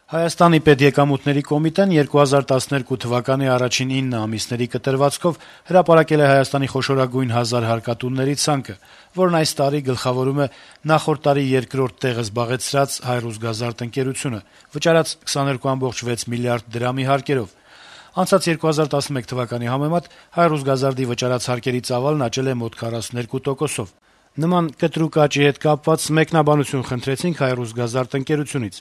Հայաստանի պետեկամուտների կոմիտեն 2012 թվականի առաջին 9 ամիսների կտրվածքով հրապարակել է Հայաստանի խոշորագույն 1000 հարկատունների ցանկը, որն այս տարի գլխավորում է նախորդ տարի երկրորդ տեղը զբաղեցրած «Հայրուսգազարդ» ընկերությունը, վճարած 22.6 միլիարդ դրամի հարկերով։ Անցած 2011 թվականի համեմատ «Հայրուսգազարդի» վճարած հարկերի ծավալն աճել է մոտ 42%-ով։ Նման կտրուկ աճի հետ կապված մեկնաբանություն խնդրեցինք «Հայրուսգազարդ» ընկերությունից։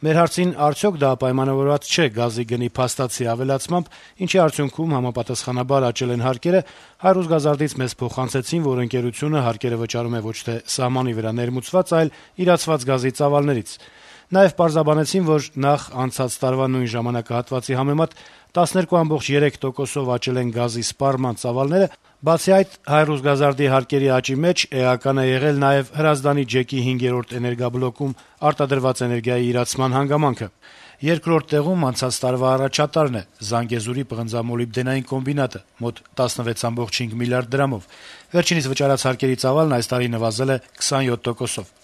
Մեր հարցին արդյոք դա պայմանավորված չէ գազի գնի փաստացի ավելացմամբ, ինչի արդյունքում համապատասխանաբար աճել են հարկերը, «Հայրուսգազարդից» մեզ փոխանցեցին, որ ընկերությունը հարկերը վճարում է ոչ թե սահմանի վրա ներմուծված, այլ իրացված գազի ծավալներից։ Նաև պարզաբանեցին, որ նախ անցած տարվա նույն ժամանակահատվածի համեմատ 12.3%-ով աճել են գազի սպառման ծավալները, բացի այդ «Հայրուսգազարդի» հարկերի աճի մեջ էական է եղել նաև Հրազդանի ջեկի 5-րդ էներգաբլոկում արտադրված էներգիայի իրացման հանգամանքը։ Երկրորդ տեղում անցած տարվա առաջատարն է՝ Զանգեզուրի պղնձամոլիբդենային կոմբինատը՝ մոտ 16.5 միլիարդ դրամով։ Վերջինիս վճարած հարկերի ծավալն այս տարի նվազել է 27%-ով։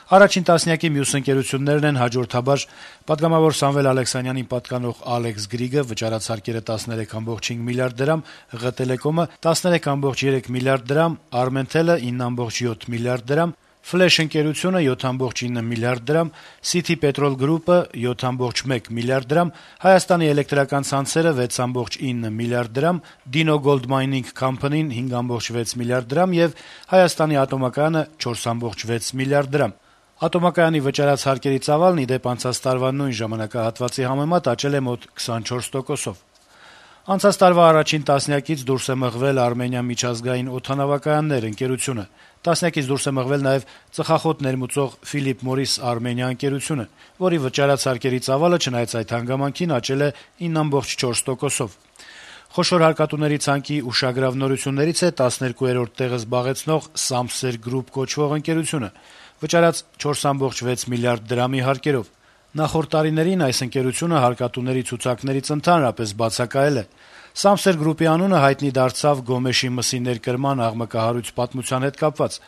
Առաջին տասնյակի մյուս ընկերություններն են հաջորդաբար պատգամավոր Սամվել Ալեքսանյանին պատկանող «Ալեքս Գրիգը» վճարած հարկերը 13.5 միլիարդ դրամ, ՂՏԵԼԵԿՈՄ-ը 13.3 միլիարդ դրամ, «Արմենթելը» 9.7 միլիարդ դրամ, «Ֆլեշ» ընկերությունը 7.9 միլիարդ դրամ, «Սիթի Պետրոլ Գրուպը» 7.1 միլիարդ դրամ, «Հայաստանի էլեկտրական ցանցերը» 6.9 միլիարդ դրամ, «Դինո Գոլդ Մայնինգ Քամփանին» 5.6 միլիարդ դրամ եւ «Հայաստանի ատոմակայանը» 4.6 միլիարդ դրամ։ Ատոմակայանի վճարած հարկերի ծավալն, ի դեպ, անցած տարվա նույն ժամանակահատվածի համեմատ աճել է մոտ 24%-ով։ Անցած տարվա առաջին տասնյակից դուրս է մղվել «Արմենիա միջազգային օդանավակայաններ» ընկերությունը։ Տասնյակից դուրս է մղվել նաև ծխախոտ ներմուծող «Ֆիլիպ Մորիս Արմենիա» ընկերությունը, որի վճարած հարկերի ծավալը, չնայած այդ հանգամանքին, աճել է 9.4%-ով։ Խոշոր հարկատուների ցանկի ուշագրավ նորություններից է 12-րդ տեղը զբաղեցնող «Սամսեր Գրուպ» կոչվող ընկերությունը, վճարած 4.6 միլիարդ դրամի հարկերով։ Նախորդ տարիներին այս ընկերությունը հարկատուների ցուցակներից ընդհանրապես բացակայել է։ «Սամսեր Գրուպի» անունը հայտնի դարձավ Գոմեշի մսի ներկրման աղմկահարույց պատմության հետ կապված։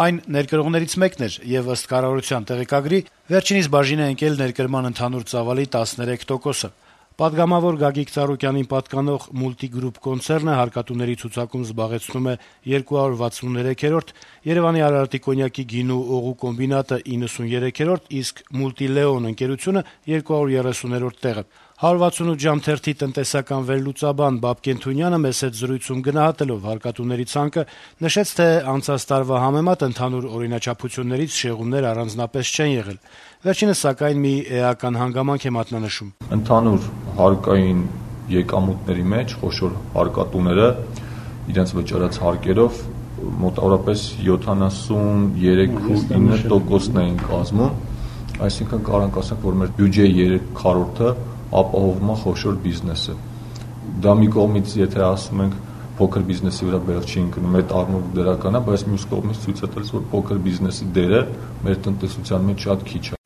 Այն ներկրողներից մեկն էր եւ, ըստ կառավարության տեղեկագրի, վերջինիս բաժին է ընկել ներկրման ընդհանուր ծավալի 13%-ը։ Պատգամավոր Գագիկ Ծառուկյանին պատկանող «Մուլտիգրուպ» կոնցեռնը հարկատուների ցուցակում զբաղեցնում է 263-րդ, Երեւանի Արարատի կոնյակի գինու օղու կոմբինատը 93-րդ, իսկ «Մուլտիլեոն» ընկերությունը 230-րդ տեղը։ 168 ժամ թերթի տնտեսական վերլուծաբան Բաբկեն Թունյանը մեզ հետ զրույցում գնահատելով հարկատուների ցանկը նշեց, թե անցած տարվա համեմատ ընդհանուր օրինաչափություններից շեղումներ առանձնապես չեն եղել։ Վերջինս, սակայն, մի էական հանգամանք է մատնանշում. Ընդհանուր հարկային եկամուտների մեջ խոշոր հարկատուները իրենց վճարած հարկերով մոտավորապես 73.9%-ն էին կազմում, այսինքն կարող ասենք, որ մեր բյուջեի 3/4-ը ապահովում է խոշոր բիզնեսը։ Դա մի կողմից, եթե ասում ենք, փոքր բիզնեսի վրա բեռ չի ընկնում, այդ առումով դրական է, բայց մյուս կողմից ցույց է տալիս, որ փոքր բիզնեսի դերը մեր տնտեսության մեջ շատ քիչ է։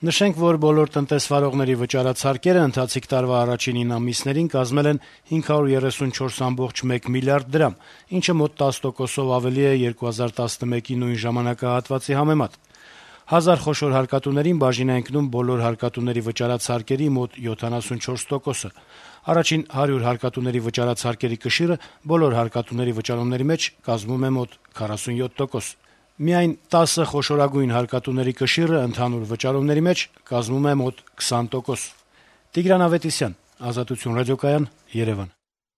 Նշենք, որ բոլոր տնտեսվարողների վճարած հարկերը ընթացիկ տարվա առաջին 9 ամիսներին կազմել են 534.1 միլիարդ դրամ, ինչը մոտ 10%-ով ավելի է 2011-ի նույն ժամանակահատվածի համեմատ։ 1000 խոշոր հարկատուներին բաժին է ընկնում բոլոր հարկատուների վճարած հարկերի մոտ 74%-ը։ Առաջին 100 հարկատուների վճարած հարկերի կշիռը բոլոր հարկատուների վճարումների մեջ կազմում է մոտ 47%։ Միայն 10 խոշորագույն հարկատուների կշիռը ընդհանուր վճարումների մեջ կազմում է մոտ 20%։ Տիգրան Ավետիսյան, Ազատություն ռադիոկայան, Երևան։